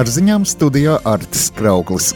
Ar ziņām studijā Artis Krauklis.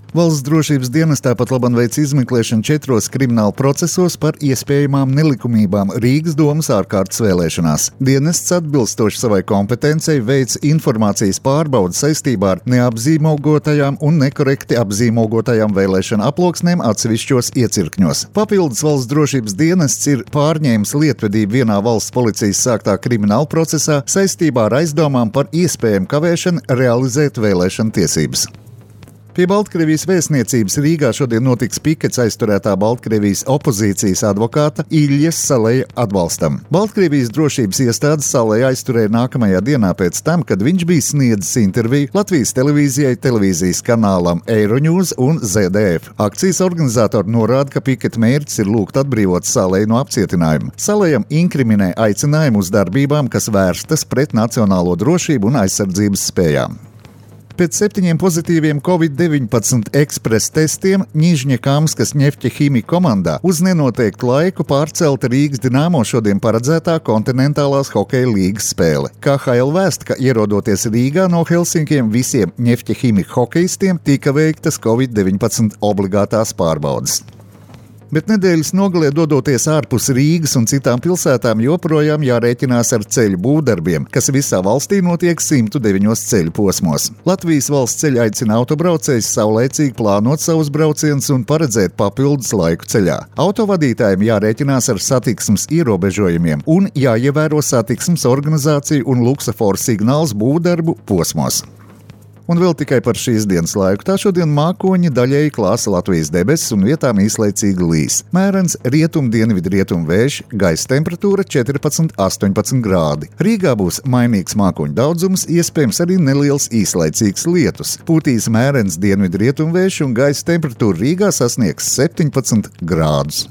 Valsts drošības dienestā pat labam veic izmeklēšanu 4 krimināla procesos par iespējamām nelikumībām Rīgas domas ārkārtas vēlēšanās. Dienests atbilstoši savai kompetencei veic informācijas pārbaudi saistībā ar neapzīmogotajām un nekorekti apzīmogotajām vēlēšana aploksnēm atsevišķos iecirkņos. Papildus valsts drošības dienests ir pārņēmis lietvedību vienā valsts policijas sāktā krimināla procesā saistībā ar aizdomām par iespējamu kavēšanu realizēt vēlēšana tiesības. Pie Baltkrievijas vēstniecības Rīgā šodien notiks pikets aizturētā Baltkrievijas opozīcijas advokāta Iljas Saleja atbalstam. Baltkrievijas drošības iestādes Saleja aizturēja nākamajā dienā pēc tam, kad viņš bija sniedzis interviju Latvijas televīzijai, televīzijas kanālam Eironews un ZDF. Akcijas organizatori norāda, ka piketa mērķis ir lūgt atbrīvot Saleju no apcietinājuma. Salejam inkriminē aicinājumu uz darbībām, kas vērstas pret nacionālo drošību un aizsardzības spējām. Pēc 7 pozitīviem Covid-19 ekspresa testiem Ņižņakamskas Ņefķahimija komandā uz nenoteiktu laiku pārcelta Rīgas Dinamo šodien paredzētā kontinentālās hokeja līgas spēle. KHL vēsta, ka ierodoties Rīgā no Helsinkiem visiem Ņefķahimija hokejistiem tika veiktas Covid-19 obligātās pārbaudes. Bet nedēļas nogalē dodoties ārpus Rīgas un citām pilsētām joprojām jārēķinās ar ceļu būvdarbiem, kas visā valstī notiek 109 ceļu posmos. Latvijas valsts ceļi aicina autobraucējus saulaicīgi plānot savus braucienus un paredzēt papildus laiku ceļā. Autovadītājiem jārēķinās ar satiksmes ierobežojumiem un jāievēro satiksmes organizāciju un luksaforu signāls būvdarbu posmos. Un vēl tikai par šīs dienas laiku. Tā šodien mākoņi daļēji klāsa Latvijas debesis un vietām īslaicīgi līs. Mērens rietum-dienvidu-rietumu vējš, gaisa temperatūra 14–18 grādi. Rīgā būs mainīgs mākoņu daudzums, iespējams arī neliels īslaicīgs lietus. Pūtīs mērens dienvidu-rietumu vējš un gaisa temperatūra Rīgā sasniegs 17 grādus.